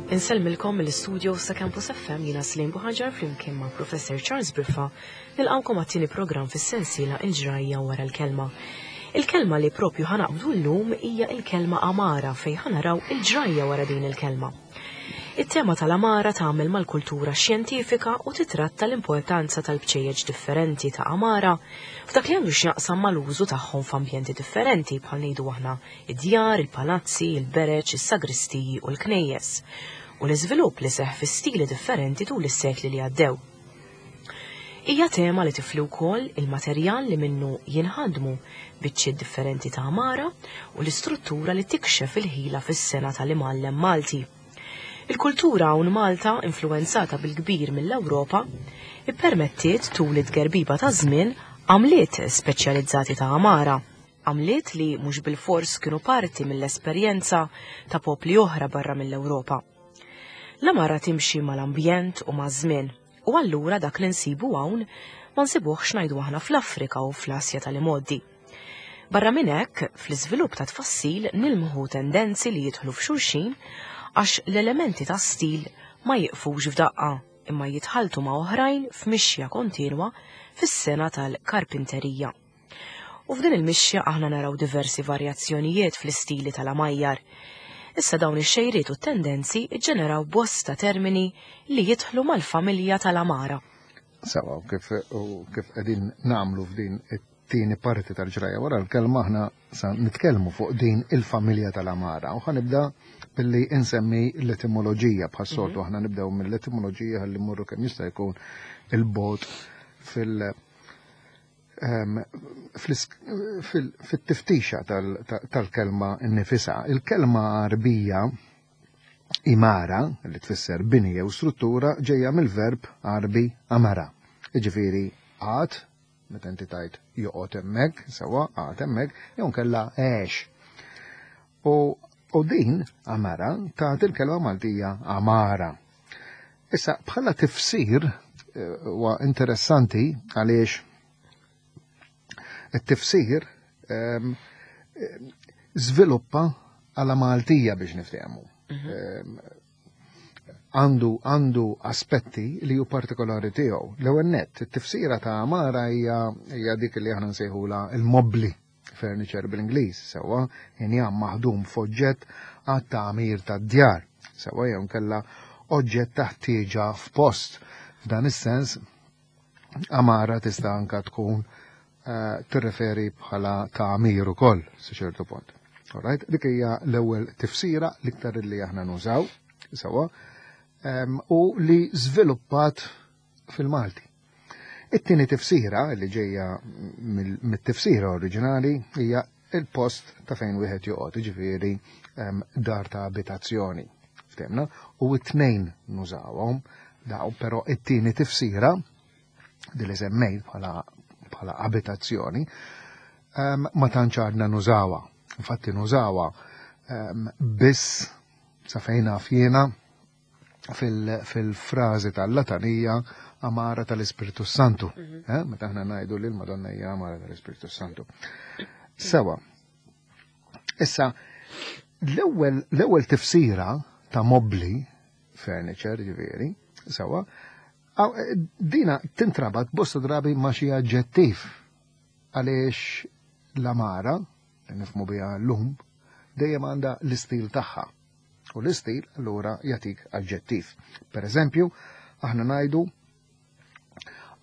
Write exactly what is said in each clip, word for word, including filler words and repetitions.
Insellmilkom mill-istudio sa' Campus F M, jiena Slim Buħaġar flimkien ma' Professor Charles Briffa, nilqawkom għat-tieni programm fis-sensiela Il-Ġrajja wara l-Kelma. Il-kelma li propju ħa naqbdu llum hija il-kelma għamara, fejn ħa naraw il-ġrajja wara din il-kelma. It-tema tal-għamara tagħmel mal-kultura xjentifika u titratta l-importanza tal-bċejjeġ differenti ta' għamara f'dak li għandu x'jaqsam mal-użu tagħhom f'ambjenti differenti, bħal ngħidu aħna id-djar, il-palazzi, il-bereċ, is-sagristiji u l-knejjes, u l-iżvilupp li seħ fi stili differenti tul is-sekli li għaddew. Hija tema li tifli wkoll il-materjal li minnu jinħadmu biċċiet differenti ta' għamara u l-istruttura li tikxef il-ħila fis-sengħa tal-imgħallem Malti. Il-kultura hawn Malta, influenzata bil-kbir mill-Ewropa, ippermettiet tul it-gerbiba ta' żmien għamliet speċjalizzati ta' għamara, għamliet li mhux bil-fors kienu parti mill-esperjenza ta' popli oħra barra mill-Ewropa. L-għamara timxi mal-ambjent u maż-żmien, u allura dak li nsibu hawn ma nsibuhx, ngħidu aħna, fl-Afrika u fl-Asja tal-imgħoddi. Barra minn hekk, fl-iżvilupp ta' tfassil nilmħu tendenzi li jidħlu f'xulxin, għax l-elementi ta' stil ma jiqfux f'daqqa imma jitħaltu ma' oħrajn f'mixja kontinwa fis-sengħa tal-karpinterija. U f'din il-mixja aħna naraw diversi varjazzjonijiet fl-istili tal-għamajjar. Issa dawn ix-xejriet u tendenzi ġeneraw bosta termini li jidħlu mal-familja tal-għamara. Sawa, u kif u kif qegħdin nagħmlu f'din it-tieni parti tal-Ġrajja wara l-Kelma, aħna sa nitkellmu fuq din il-familja tal-għamara u ħa nibda billi insemmi l-etimoloġija. Bħas-soltu aħna nibdew mill-etimoloġija ħalli mmorru kemm jista' jkun il-bogħod fil- em, fl- fil- fit-tiftixa tal- tal-kelma nnifisha. Il-kelma Arbija imara, li tfisser bini jew struttura, ġejja mill-verb Arbi amara. Iġifieri għad, meta inti tajt joqgħod hemmhekk, sewwa, qagħad hemmhekk, jew nkella għex. U, u din amara tagħti il-kelma Maltija għamara. Issa bħala tifsir eh, huwa interessanti għaliex it-tifsir ehm, żviluppa għala Maltija, biex niftehmu. Ehm, Għandu għandu aspetti li hu partikolari tiegħu. L-ewwel nett, it-tifsira ta' għamara hija hija dik li aħna nsejħula il-mobli, furniture bil-Ingliż, sewwa, injam maħdum f'oġġett għat-tagħmir tad-djar, sewwa, jew nkella oġġett ta' ħtieġa f'post. F'dan is-sens għamara tista' anka tkun eh, tirreferi bħala tagħmir ukoll sa ċertu punt. Alright, dik hija l-ewwel tifsira l-iktar li aħna nużaw, sewwa, em, u li żviluppat fil-Malti. It-tieni tifsira li ġejja mill- mit-tifsira oriġinali hija il-post ta' fejn wieħed joqgħod, jiġifieri em, dar ta' abitazzjoni. Ftehmna? U t-tnejn nużawhom daw, però it-tieni tifsira di li semmejt bħala bħala abitazzjoni em, ma tantx għadna nużawha. Infatti nużawha em, biss sa fejn naf jiena fil- fil-frażi tal-latanija għamara tal-Ispirtu Santu. Eh, Meta aħna ngħidu li l-Madonna hija għamara tal-Ispirtu Santu. Sewa. Issa, l-ewwel l-ewwel tifsira ta' mobli, furniture ġifieri, sewa, għaw, eh, dina tintrabat bosta drabi ma' xi aġġettiv, għaliex l-għamara, li nifhmu biha llum, dejjem għandha l-istil tagħha. U l-istil allura jagħtik aġġettiv. Per eżempju, aħna ngħidu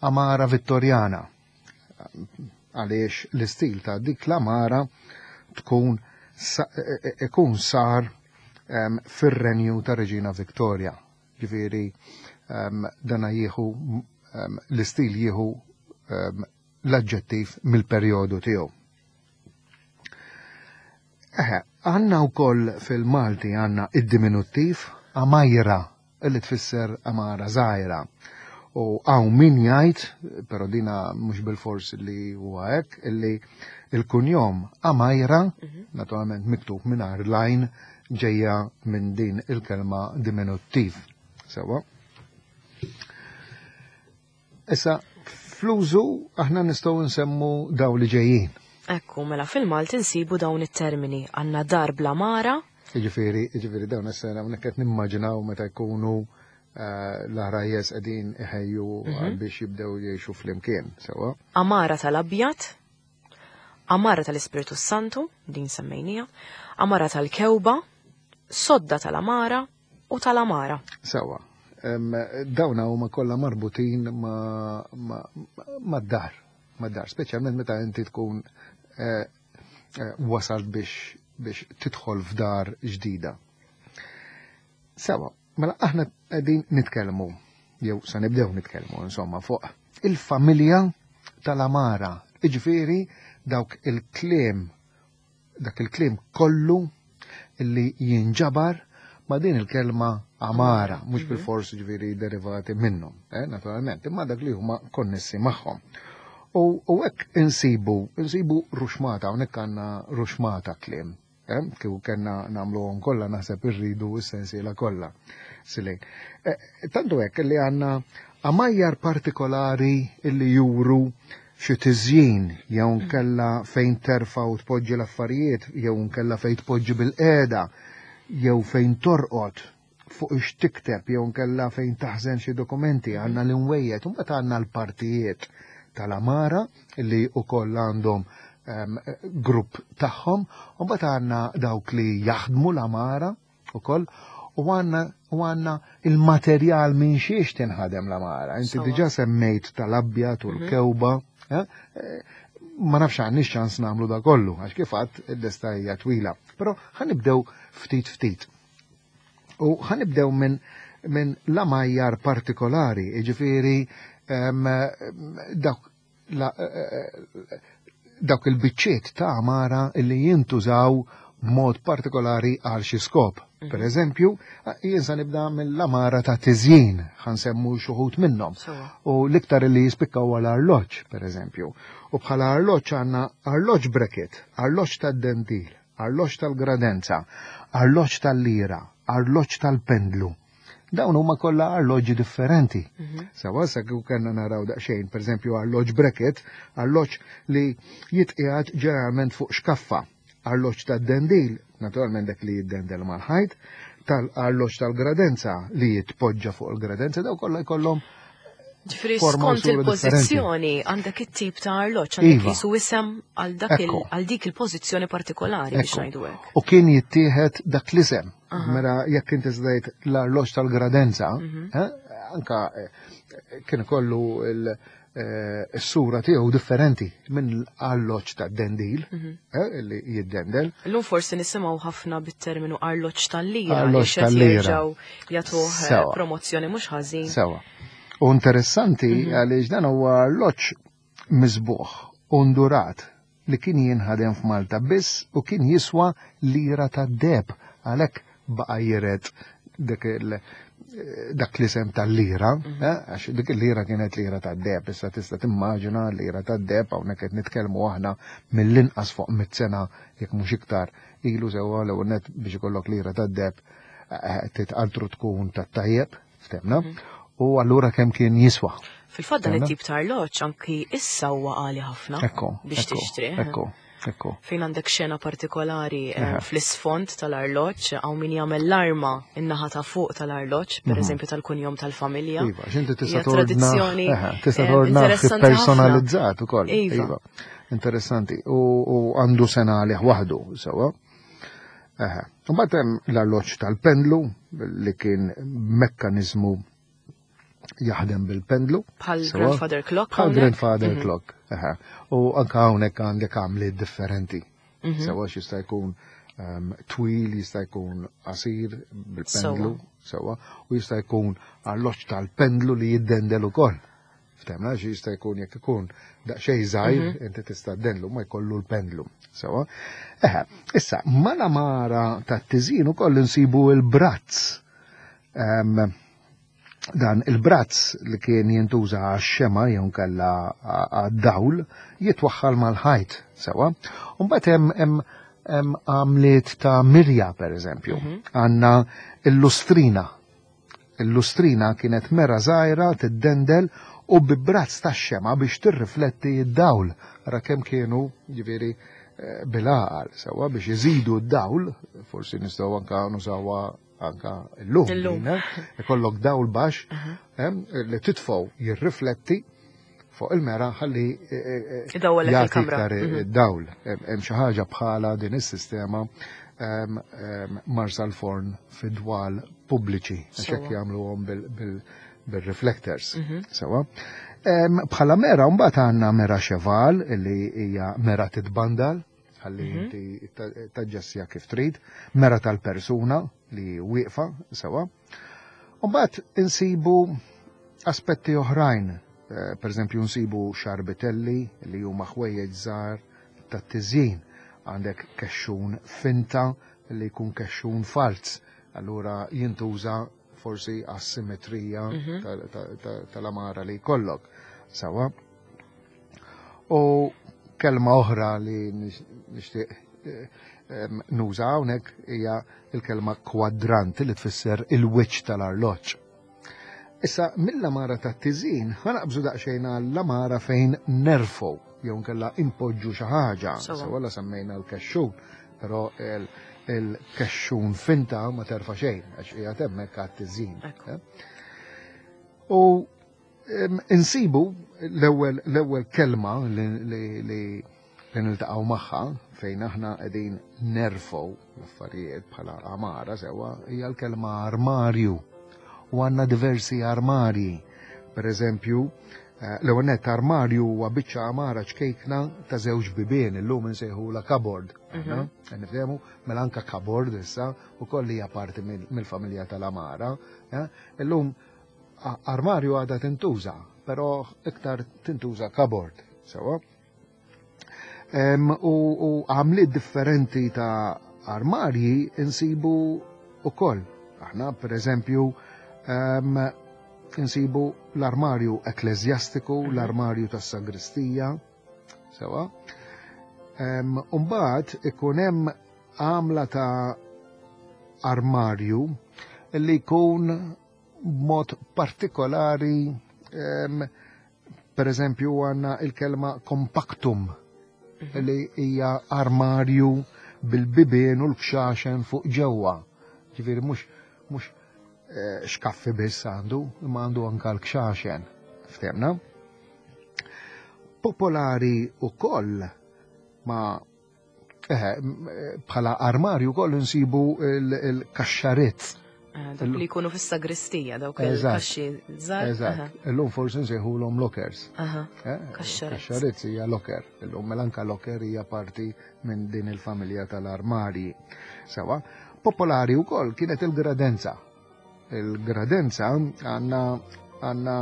għamara Vittorjana, għaliex l-istil ta' dik l-għamara tkun sa- e- e- ikun sar em, fir-renju ta' Reġina Victoria. Ġifieri em, dana jieħu em, l-istil jieħu em, l-aġġettiv mill-perjodu tiegħu. Eħe, għandna wkoll fil-Malti għandna id-diminuttiv għamajra, li tfisser għamara żgħira. U hawn min jgħid, però dina mhux bil-fors li huwa hekk, illi il-kunjom Għamajra, naturalment miktub mingħajr l-għajn, ġejja minn din il-kelma diminuttiv. Sewa. Issa, fl-użu aħna nistgħu nsemmu daw li ġejjin. Ekku, mela fil-Malti nsibu dawn it-termini. Għandna dar bl-għamara, Jiġifieri, jiġifieri dawn issa hawnhekk qed nimmaġinaw meta jkunu eh, l-għarajjes qegħdin iħejju Mhm. biex jibdew jgħixu flimkien, sewwa. Għamara tal-Abjad, Għamara tal-Ispiritu Santu, din semmejnija, Għamara tal-Kewba, Sodda tal-Għamara u tal-Għamara. Sewwa. Em, Dawna huma kollha marbutin ma, ma, ma dar, ma dar, speċjalment meta inti tkun eh, eh, wasalt biex biex tidħol f'dar ġdida. Sewwa, mela aħna qegħdin nitkellmu, jew sa nibdew nitkellmu insomma fuq il-familja tal-għamara. Iġifieri dawk il-kliem dak il-kliem kollu illi jinġabar ma' din il-kelma għamara, mhux bil-fors ġifieri derivati minnhom, eh, naturalment, imma dak li huma konnessi magħhom. U u hekk insibu, insibu ruxmata, hawnhekk għandna ruxmata kliem. Eh, kieku kellna nagħmluhom kollha naħseb irridu s-sensiela kollha. Silejn. Eh, tantu hekk li għandna għamajjar partikolari illi juru xi tiżjin jew nkella fejn terfa' u tpoġġi l-affarijiet, jew nkella fejn tpoġġi bil-qiegħda, jew fejn torqod fuq ix tikteb, jew nkella fejn taħżen xi dokumenti, għandna l-imwejjed, u mbagħad għandna l-partijiet tal-għamara li wkoll għandhom em, grupp tagħhom, u mbagħad għandna dawk li jaħdmu l-għamara ukoll, u għandna u għandna il-materjal minn xiex tinħadem l-għamara. Inti Sewwa. diġà semmejt tal-abjad u l-kewba, eh? Eh, ma nafx għandniex ċans nagħmlu da kollu, għax kif għadt il-lista hija twila. Però ħa nibdew ftit ftit. U ħa nibdew minn min l-għamajjar partikolari, jiġifieri em, dawk la- eh, dawk il-biċċiet ta' għamara illi jintużaw b'mod partikolari għal xi skop. Per eżempju, jien sa nibda mill-għamara ta' tiżjin, ħa nsemmu xi wħud minnhom. Sewwa. U l-iktar li jispikka huwa l-arloġġ, per eżempju. U bħala arloġġ għandna arloġġ bracket, arloġġ tad-dentil, arloġġ tal-gradenza, arloġġ tal-lira, arloġġ tal-pendlu. Dawn huma kollha arloġġi differenti. Sewwa sa kieku kellna naraw daqsxejn, per eżempju arloġġ bracket, arloġġ li jitqiegħed ġeneralment fuq xkaffa. Arloġġ tad-dendil, naturalment dak li jiddendel mal-ħajt, tal-arloġġ tal-gradenza li jitpoġġa fuq il-gradenza, daw kollha jkollhom Ġifieri forma u skont sura il-pożizzjoni għandek it-tip ta' arloġġ, għandek Iva. jisu isem għal dak il- Ekku. għal dik il-pożizzjoni partikolari biex Ekku. ngħidu hekk. U kien jittieħed dak l-isem. Aha. Mela jekk inti zdajt l-arloġġ tal-gradenza, Mhm. eh, anka eh, kien ikollu il- eh, is-sura tiegħu differenti minn l-arloġġ tad-dendil, Mhm. eh, li jiddendel. Illum forsi nisimgħu ħafna bit-terminu arloġġ tal-lira Arloġġ li xed tal-lira. jerġgħu jagħtuh eh, Sewwa. promozzjoni mhux ħażin. Sewwa. U interessanti għaliex dan huwa arloġġ miżbugħ, ondurat, li kien jinħadem f'Malta biss u kien jiswa lira ta' deheb, għalhekk baqa' jiret dik il- dak l-isem tal-lira, eh, għax dik il-lira kienet lira ta' deheb, issa tista' timmaġina lira ta' deheb, hawnhekk qed nitkellmu aħna mill-inqas fuq mit sena jekk mhux iktar ilu sewwa l net biex ikollok lira ta' deheb eh, titqaltru tkun ta' tajjeb, ftemna, u allura kemm kien jiswa. Fil-fatt dan Ftemna? it-tip ta' arloġġ anki issa huwa għali ħafna Ekku, biex ekku, tixtri. Ekku, ekku. Fejn għandek xena partikolari eh, Eħe. fl-isfond tal-arloġġ, hawn min jagħmel l-arma in-naħa ta' fuq tal-arloġġ, per eżempju tal-kunjom tal-familja. Mhm. Iva, x'inti tista' Hija tordna, tradizzjoni eħe, tista' eh, tordna interessanti ħafna. personalizzat ukoll. Iva. Interessanti. U u għandu sena għalih waħdu, sewwa. Eħe. Mbagħad hemm l-arloġġ tal-pendlu li kien mekkaniżmu jaħdem bil-pendlu. Bħal sewwa. grandfather clock Bħal hawnhekk? grandfather Mhm. clock. Eħe. U anka hawnhekk għandek għamliet differenti. Mhm. Sewwa jista' jkun um, twil, jista' jkun qasir bil-pendlu, sewwa, u jista' jkun arloġġ tal-pendlu li jiddendel ukoll. Ftemna xi jista' jkun jekk ikun daqsxejn żgħir, Mhm. inti tista' ddendlu ma jkollu l-pendlu. Sewwa. Eħe, issa mal-għamara tat-tiżjin ukoll insibu il-brazz. Um, dan il-brazz li kien jintuża għax-xema jew kella għad-dawl jitwaħħal mal-ħajt, sewwa. U mbagħad hemm hemm hemm għamliet ta' mirja per eżempju. Għandna il-lustrina. Il-lustrina kienet mera żgħira tiddendel u bi brazz ta' xema biex tirrifletti d-dawl. Ara kemm kienu, ġifieri, bil-għaqal, sewa biex iżidu d-dawl, forsi nistgħu anka nużawha anka llum. Illum. Ikollok dawl baxx li titfgħu jirrifletti fuq il-mera ħalli Idawwallek jagħti il-kamra. iktar dawl. Hemm xi ħaġa bħala din is-sistema Marsalforn fid-dwal pubbliċi, għax hekk jagħmluhom bil-reflectors. Sewa. Bħala mera mbagħad għandna mera cheval li hija mera titbandal, ħalli inti taġġessja kif trid, mera tal-persuna li wieqfa, sewa. Mbagħad insibu aspetti oħrajn, per eżempju nsibu xarbitelli li huma ħwejjeġ żgħar tat-tiżjin, għandek kexxun finta li jkun kexxun falz, allura jintuża forsi għas-simetrija tal-amara li jkollok. Sawa. U kelma oħra li nixtieq nuża hawnhekk hija l-kelma kwadrant li tfisser il-wiċċ tal-arloġġ. Issa mill-amara tat-tiżin ħa naqbżu daqsxejn għall-amara fejn nerfgħu jew nkella impoġġu xi ħaġa. Sewa la semmejna l-kexxun, però il-kexxun finta ma terfa' xejn għax qiegħed hemmhekk għat-tiżin. U insibu l-ewwel l-ewwel kelma li li niltaqgħu magħha fejn aħna qegħdin nerfgħu l-affarijiet bħala amara sewwa hija l-kelma armarju. U għandna diversi armarji. Per eżempju, l-ewwel nett armarju huwa biċċa amara ċkejkna ta' żewġ bibien, illum insejħula cupboard. Nifhemu, mela anka cupboard issa ukoll hija parti mill-familja tal-amara. Illum armarju għadha tintuża, però iktar tintuża cupboard, sewa. U għamliet differenti ta' armarji insibu ukoll. Aħna, per eżempju, insibu l-armarju ekklesjastiku, l-armarju tas-sagristija, sewa. Umbagħad ikun hemm għamla ta' armarju li jkun b'mod partikolari, per eżempju għandna il-kelma compactum, li hija armarju bil-bibien u l-kxaxen fuq ġewwa. Ġifieri mhux mhux xkaffi biss għandu, imma għandu anka l-kxaxen. Ftehmna? Popolari ukoll ma bħala armarju wkoll insibu il-kaxxarizz. Dak li jkunu fis-sagristija, dawk il-kaxxi żgħar. Eżatt. Illum forsi nsejħulhom lockers. Kaxxarizz. Kaxxarizz hija locker. Illum mela anka locker hija parti minn din il-familja tal-armarji. Sewa, popolari wkoll kienet il-gradenza. Il-gradenza għandna għandna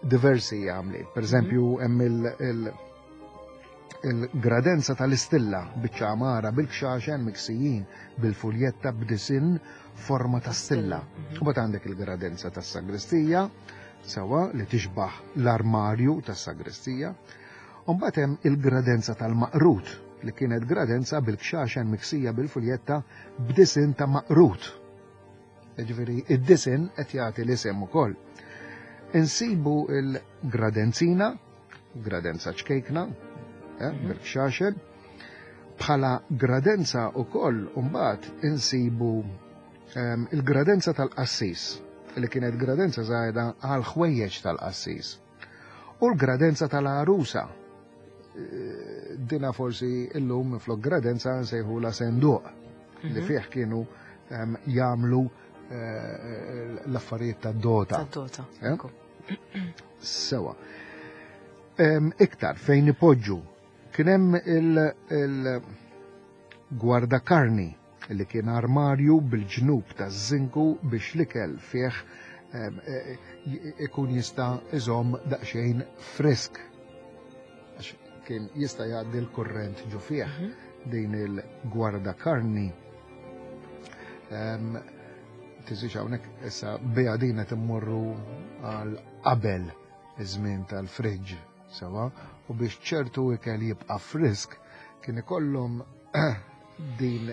diversi għamliet. Per eżempju, hemm il-gradenza tal-istilla biċċa amara bil-kxaxen miksijin bil-fuljetta b'disin forma ta' stilla. U bat għandek il-gradenza tas-sagristija, sewa li tixbaħ l-armarju tas-sagristija. U mbagħad hemm il-gradenza tal-maqrut li kienet gradenza bil-kxaxen miksija bil-fuljetta b'disin ta' maqrut. Ġifieri id-disin qed jagħti l-isem ukoll. Insibu il-gradenzina, gradenza ċkejkna, bil-kxaxen. Bħala gradenza ukoll mbagħad insibu il-gradenza tal-qassis, li kienet gradenza żgħira għal ħwejjeġ tal-qassis. U l-gradenza tal-għarusa. Dina forsi illum flok gradenza nsejħula senduq, li fih kienu jagħmlu l-affarijiet tad-dota. Tad-dota. Sewa. Iktar fejn ipoġġu kien hemm il-gwardakarni li kien armarju bil-ġnub taż-żinku biex l-ikel fih ikun jista' iżomm daqsxejn frisk. Għax kien jista' jgħaddi l-kurrent ġo fih din il-gwardakarni. Tiżix hawnhekk issa biha din qed immorru għal qabel iż-żmien tal-friġġ, sewa, u biex ċertu ikel jibqa' frisk kien ikollhom din,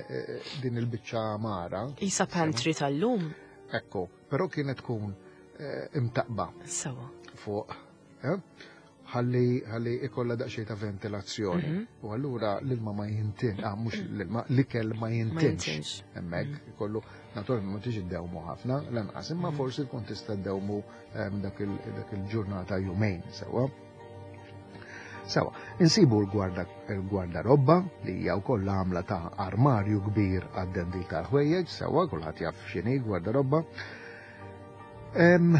din il-biċċa amara. Isa pantry tal-lum. Ekku, però kienet tkun imtaqba. Sewa. Fuq, ħalli ħalli ikolla daqsxejn ta' ventilazzjoni. U allura l-ilma ma jintin, ah, mhux l-ilma, l-ikel ma jintinx. Jintinx. Hemmhekk ikollu naturalment ma tiġi ddewmu ħafna lanqas, imma forsi tkun tista' ddewmu ehm, dak il- dak il-ġurnata jumejn sewwa. Sewa, insibu l-gwarda l-gwardarobba li hija wkoll għamla ta' armarju kbir għad-dendil tal-ħwejjeġ, sewa kulħadd jaf x'inhi gwardarobba. Em,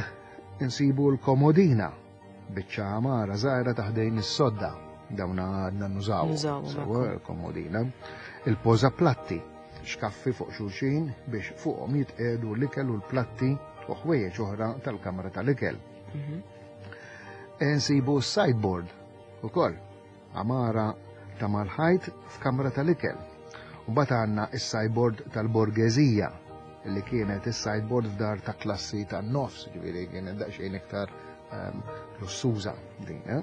insibu l-komodina, biċċa għamara żgħira ta' ħdejn is-sodda, dawna għadna nużaw. Nużawhom, Sewa l-komodina. Il-poża platti, xkaffi fuq xulxin biex fuqhom jitqiegħdu l-ikel u l-platti u ħwejjeġ oħra tal-kamra tal-ikel. Mhm. Insibu s-sideboard ukoll, għamara ta' mal-ħajt f'kamra tal-ikel. U mbagħad għandna is-sideboard tal-borgeżija li kienet is-sideboard f'dar ta' klassi tan-nofs, ġifieri kienet daqsxejn iktar ehm, lussuża din. Eh?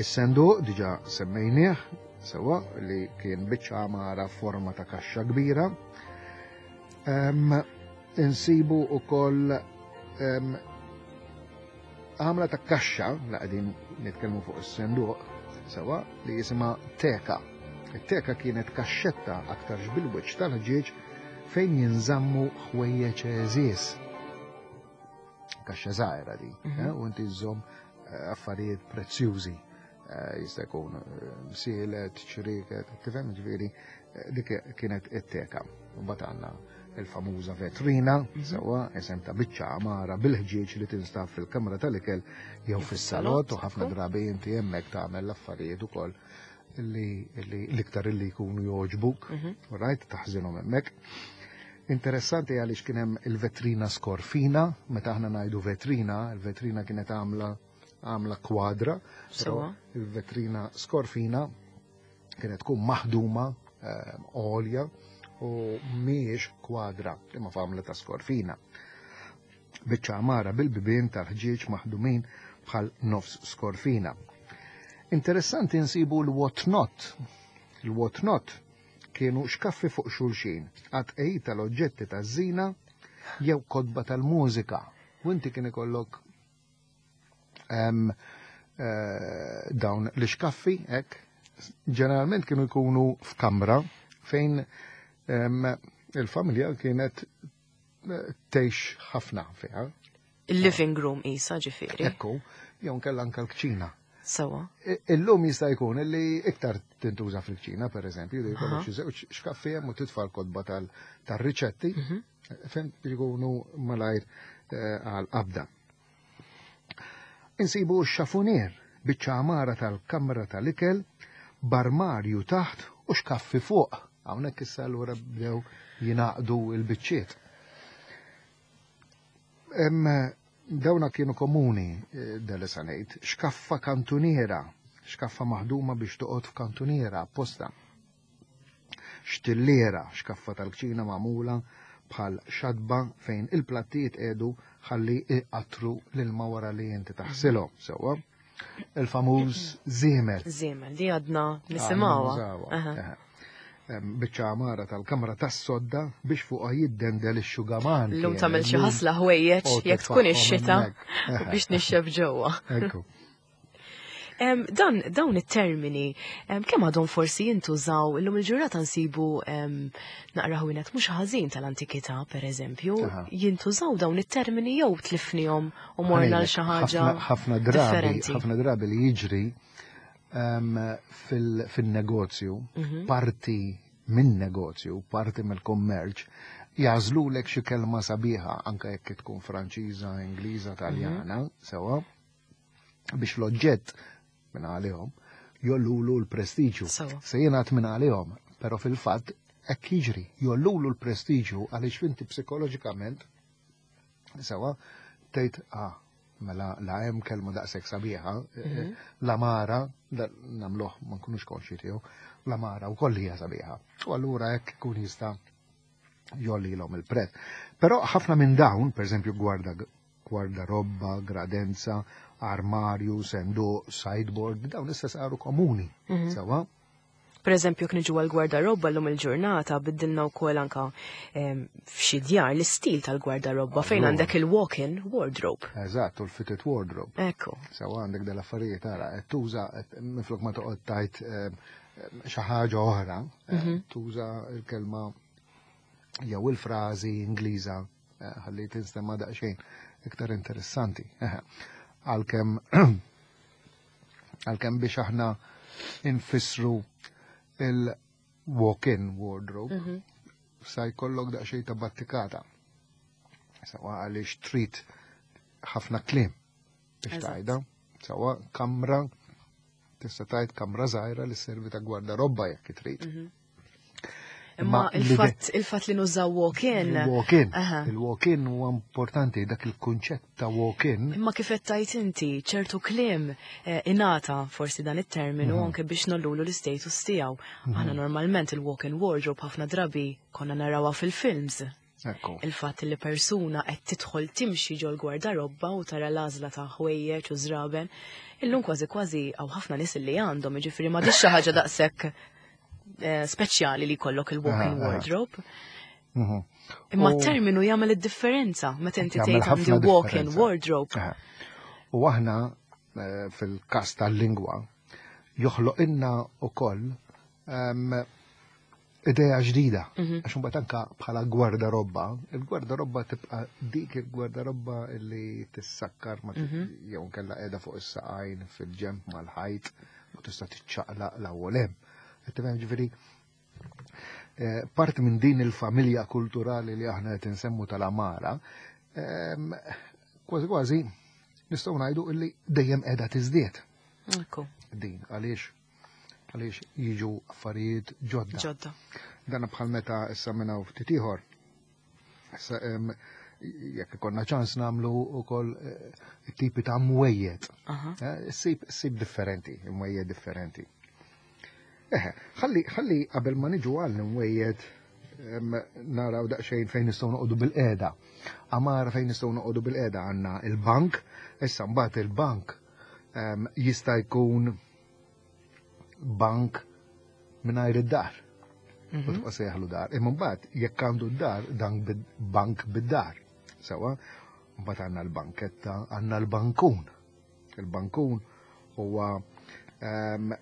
Is-senduq diġà semmejnieh sewa li kien biċċa għamara forma ta' kaxxa kbira. Ehm, insibu ukoll ehm, għamla ta' kaxxa, la qegħdin nitkellmu fuq is-senduq, sewa li jisimha teka. It-teka kienet kaxxetta aktarx bil-wiċċ tal-ħġieġ fejn jinżammu ħwejjeġ għeżież. Kaxxa żgħira di, Mhm. eh, u inti żżomm eh, affarijiet prezzjużi. Eh, Jista' jkun eh, msielet, ċriket, tifhem ġifieri eh, dik kienet it-teka. U mbagħad għandna il-famuża vetrina, Mhm. sewa isem ta' biċċa għamara bil-ħġieġ li tinstab fil-kamra tal-ikel jew fis-salott u ħafna ekku. drabi inti hemmhekk tagħmel l-affarijiet ukoll li li l-iktar illi jkunu jogħġbuk, Mhm. right, taħżinhom hemmhekk. Interessanti għaliex kien hemm il-vetrina skorfina, meta aħna ngħidu vetrina, il-vetrina kienet għamla għamla kwadra, però Sewa. il-vetrina skorfina kienet tkun maħduma eh, għolja u mhijiex kwadra imma f'għamla ta' skorfina. Biċċa għamara bil-bibien tal-ħġieġ maħdumin bħal nofs skorfina. Interessanti nsibu l-whatnot. Il-whatnot kienu xkaffi fuq xulxin, għat tal-oġġetti taż-żina jew kotba tal-mużika. U inti kien ikollok em, eh, dawn l-xkaffi, hekk, ġeneralment kienu jkunu f'kamra fejn em, il-familja kienet eh, tgħix ħafna fiha. Il-living room isa ġifieri. Ekku, jew nkella anke l-kċina. Sewa. I- Illum jista' jkun illi iktar tintuża fil-kċina, per eżempju, li jkollok Aha. xi żewġ xkaffi hemm u titfa' l-kotba tal- tar-riċetti, Mhm. fejn jkunu malajr eh, għal qabda. Insibu x-xafunier, biċċa għamara tal-kamra tal-ikel, b'armarju taħt u xkaffi fuq. Hawnhekk issa allura bdew jingħaqdu il-biċċiet. Em, dawna kienu komuni eh, dal ngħid, xkaffa kantuniera, xkaffa maħduma biex toqgħod f'kantuniera apposta. Xtilliera, xkaffa tal-kċina magħmula bħal xadba fejn il-plattijiet edu ħalli iqatru l-ilma wara li inti taħsilhom sewwa. Il-famuż żiemel. Żiemel, di għadna nisimgħuha. Nużawha. Aha. Eħe. Em, Biċċa għamara tal-kamra tas-sodda biex fuqha jiddendel ix-xugaman. Illum kien, tagħmel xi illum ħasla ħwejjeġ u jekk tkun titfaħħom ix-xita hemmhekk. Eħe. biex nixxef ġewwa. Ekku. Em, Dan dawn it-termini em, kemm għadhom forsi jintużaw illum il-ġurnata nsibu em, naqra ħwienet mhux ħażin tal-antikità pereżempju, Aha. jintużaw dawn it-termini jew tlifnihom u morna l xi ħaġa ħafna ħafna drabi, differenti. ħafna drabi li jiġri em, fil- fil-negozju, Mhm. parti minn negozju, parti mill-kummerċ, jagħżlulek xi kelma sabiħa, anke jekk tkun Franċiża, Ingliża, Taljana, sewa, biex l-oġġett minn għalihom jollulu l-prestiġju. Sewa. Se jingħad minn għalihom, però fil-fatt hekk jiġri, jollulu l-prestiġju għaliex inti psikoloġikament sewa tgħid ah mela la hemm kelma daqshekk sabiħa, eh, l-għamara, da- nagħmluh ma nkunux konxi tiegħu, l-għamara wkoll hija sabiħa. U allura hekk ikun jista' jollilhom il-prezz. Però ħafna minn dawn, per eżempju gwarda gwardarobba, gradenza, armarju, senduq, sideboard, dawn issa saru komuni. Mhm. Sewa? Per eżempju, jekk niġu għal-gwardarobba llum il-ġurnata, biddilna wkoll anka em, f'xi djar l-istil tal-gwardarobba fejn Allura. għandek il-walk-in wardrobe. Eżatt, u l-fitted wardrobe. Ekku. Sewa, għandek dal-affarijiet, ara, qed tuża qed- minflok ma toqgħod tajt eh, xi ħaġa oħra, eh, tuża il-kelma jew il-frażi Ingliża eh, ħalli tinstema' daqsxejn iktar interessanti. Eħe. Għalkemm għalkemm biex aħna infissru il-walk-in wardrobe, sa jkollok daqsxejn ta' battikata. Sewa, għaliex trid ħafna kliem biex Eżatt. tajda. Sewa, kamra, tista' tgħid kamra żgħira li sservi ta' gwardarobba jekk trid. Imma Imma il-fatt il-fatt li nużaw walk-in. Il-walk-in. Aha. Il-walk-in huwa importanti, dak il-kunċett ta' walk-in. Imma kif qed tajt inti, ċertu kliem eh, ingħata forsi dan it-terminu anke biex nollulu l-istatus tiegħu. Aħna normalment il-walk-in wardrobe ħafna drabi konna narawha fil-films. Ekku. Il-fatt li persuna qed tidħol timxi ġol gwardarobba u tara l-għażla ta' ħwejjeġ u żraben, illum kważi kważi hawn ħafna nies li għandhom, jiġifieri ma xi ħaġa daqshekk eh, speċjali li jkollok il-walk-in Aha, aha. wardrobe. Mhm. Imma U- terminu jagħmel id-differenza meta inti Jagħmel tgħid għandi ħafna walk-in differenza. wardrobe. Aha. U aħna eh, fil-kas tal-lingwa joħloq inna ukoll em, idea ġdida. Għax imbagħad anka bħala gwardarobba, il-gwardarobba tibqa' dik il-gwardarobba li tissakkar ma jew nkella qiegħda fuq is-saqajn fil-ġemp mal-ħajt u tista' tiċċaqlaq l-ewwel hemm. Qed tifhem, ġifieri eh, parti minn din il-familja kulturali li aħna qed insemmu tal-Amara, em, kważi kważi nistgħu ngħidu illi dejjem qiegħda tiżdied Ekku, din, għaliex għaliex jiġu affarijiet ġodda. Ġodda. Dan bħal meta issa minn hawn ftit ieħor. Issa em, jekk ikollna ċans nagħmlu wkoll eh, tipi ta' mwejjed. Aha. Eh, Sib sib differenti, mwejjed differenti. Eħe, ħalli ħalli qabel ma niġu għal mwejjed em, naraw daqsxejn fejn nistgħu noqogħdu bil-qiegħda. Amara fejn nistgħu noqogħdu bil-qiegħda għandna il-bank, issa mbagħad il-bank em, jista' jkun bank mingħajr id-dar. U tibqa' sejjaħlu dar. Imma mbagħad jekk għandu d-dar, dan bid- bank bid-dar. Sewa, mbagħad għandna l-banketta, għandna l-bankun. Il-bankun huwa em,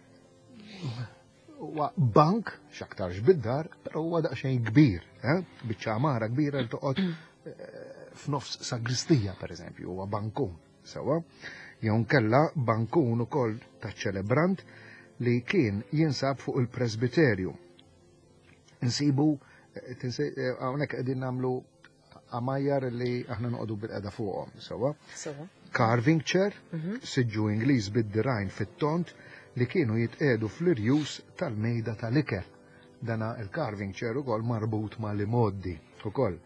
huwa bank x'aktarx bid-dar, però huwa daqsxejn kbir, eh? Biċċa għamara kbira li toqgħod eh, f'nofs sagristija, per eżempju, huwa bankun. Sewa, jew nkella bankun ukoll ta' ċelebrant li kien jinsab fuq il-presbiterju. Insibu, eh, tinsi- eh, hawnhekk qegħdin nagħmlu għamajjar li aħna noqogħdu bil-qeda fuqhom, sewa. Sewa. Carving chair, siġġu Ingliż bid-dirgħajn fit-tont li kienu jitqedu fl-irjus tal-mejda tal-ikel. Dana il-carving chair ukoll marbut ma' li ukoll.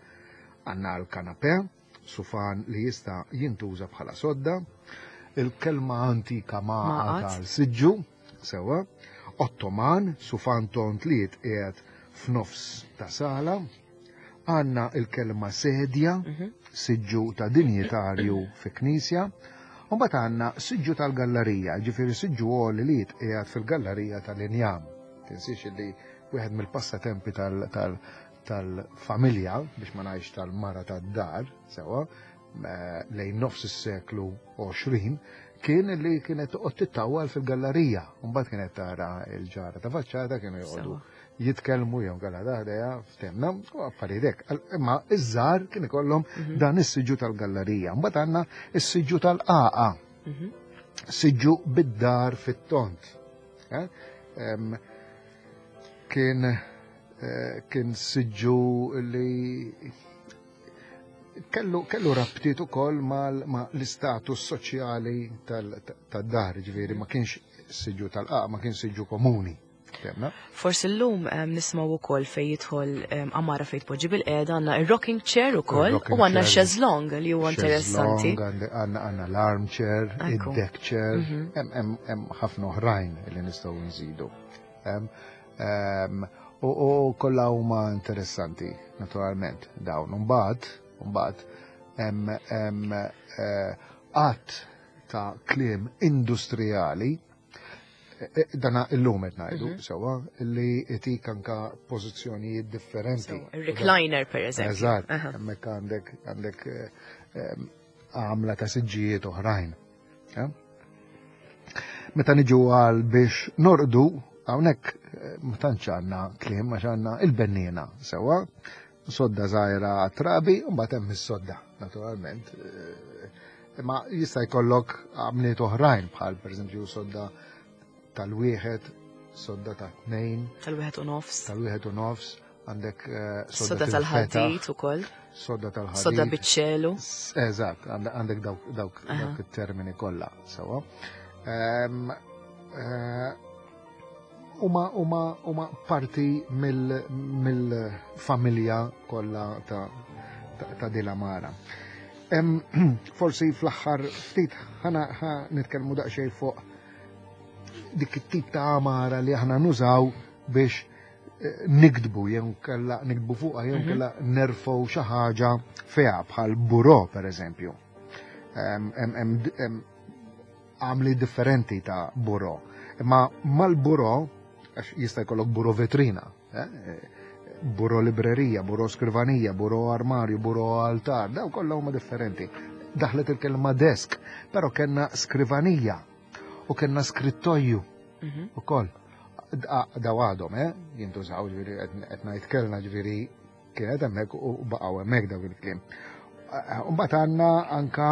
Għandna l-kanape, sufan li jista' jintuża bħala sodda, il-kelma antika maqa Maqat. tal-siġġu, sewa, ottoman, sufan tont li jitqiegħed f'nofs ta' sala, għandna il-kelma sedja, siġġu ta' dinjitarju fi knisja, u mbagħad għandna siġġu tal-gallerija, ġifieri siġġu għoli li jitqiegħed fil-gallerija tal-injam. Tinsiex li wieħed mill-passatempi tal- tal- tal-familja, biex ma ngħidx tal-mara tad-dar, sewa, eh, lejn nofs is-seklu għoxrin, kien li kienet toqgħod tittawal fil-gallerija. Mbagħad kienet tara l-ġara ta' faċċata, kienu joqogħdu Sewa. jitkellmu jew kalla daħdeja ftemna u affarijiet hekk. Imma iż-żgħar kien ikollhom dan is-siġġu tal-gallerija. Mbagħad għandna is-siġġu tal-qaqa. Siġġu bid-dar fit-tont. Eh? Em, Kien eh, kien siġġu li kellu, kellu rabtiet ukoll mal ma l-istatus soċjali tad-dar, ġifieri ma kienx siġġu tal-qaqa, ma kienx siġġu komuni. Ftemna? Forsi llum em, nismaw ukoll fej jidħol em, għamara fej tpoġġi bil-qiegħda, għandna ir-rocking chair ukoll Il-rocking u għandna chair. chaise longue li huwa interessanti. Għandna għandna l-armchair, Ekku. id-deck chair, hemm hemm hemm ħafna oħrajn li nistgħu nżidu. Em, em, U u kollha huma interessanti, naturalment, dawn. Mbagħad, mbagħad hemm hemm eh, għadd ta' kliem industrijali Eh, dana illum qed ngħidu mhm. sewwa li itik anka pożizzjonijiet differenti. Recliner per eżempju. Eżatt, hemmhekk għandek għandek eh, għamla ta' siġġijiet oħrajn. Meta niġu għal biex norqdu, hawnhekk eh, ma tantx għandna kliem għax għandna il-benniena sewwa, sodda żgħira trabi u mbagħad hemm is-sodda, naturalment. Imma jista' jkollok għamliet oħrajn bħal pereżempju sodda tal-wieħed, sodda ta' tnejn. Tal-wieħed u nofs. Tal-wieħed u nofs, għandek eh, sodda tal-ħadid ukoll. Sodda tal-ħadid. Sodda biċ-ċelu. Eżatt, għandek dawk dawk it-termini kollha sewwa. Ehm, eh, huma huma huma parti mill-familja kollha ta' ta' Dilamara. Forsi fl-aħħar ftit ħana nitkellmu daqsxejn fuq dik it-tip ta' għamara li aħna nużaw biex eh, nikdbu jew kella nikdbu fuqha jew mhm. kella nerfgħu xi ħaġa fiha bħal buro pereżempju. Għamli differenti ta' buro. Imma mal-buro, għax jista' jkollok buro vetrina, eh, buro librerija, buro skrivanija, buro armarju, buro altar, daw kollha huma differenti. Daħlet il-kelma desk, però kellna skrivanija u kellna skrittoju mhm. ukoll. Daw għadhom, eh, jintużaw, ġifieri qed ngħid kellna ġifieri kienet hemmhekk u baqgħu hemmhekk dawk il-kliem. Mbagħad għandna anka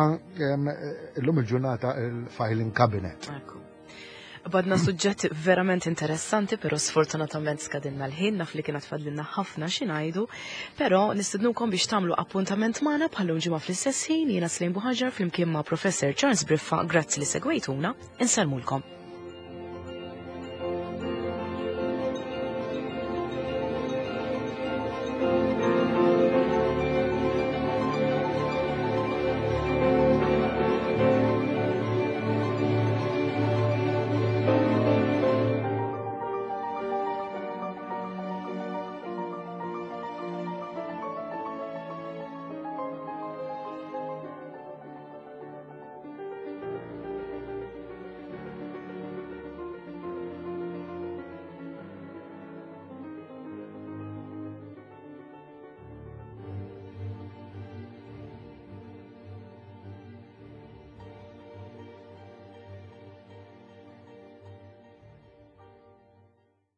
illum il-ġurnata il-filing cabinet. Badna suġġett verament interessanti, pero sfortunatament skadinna l-ħin, naf li kienet fadlinna ħafna xi ngħidu, però nistednukom biex tagħmlu appuntament magħna bħallum ġimgħa fl-istess ħin jiena Slim Buħaġar flimkien ma' Professor Charles Briffa, grazzi li segwejtuna, insellmulkom.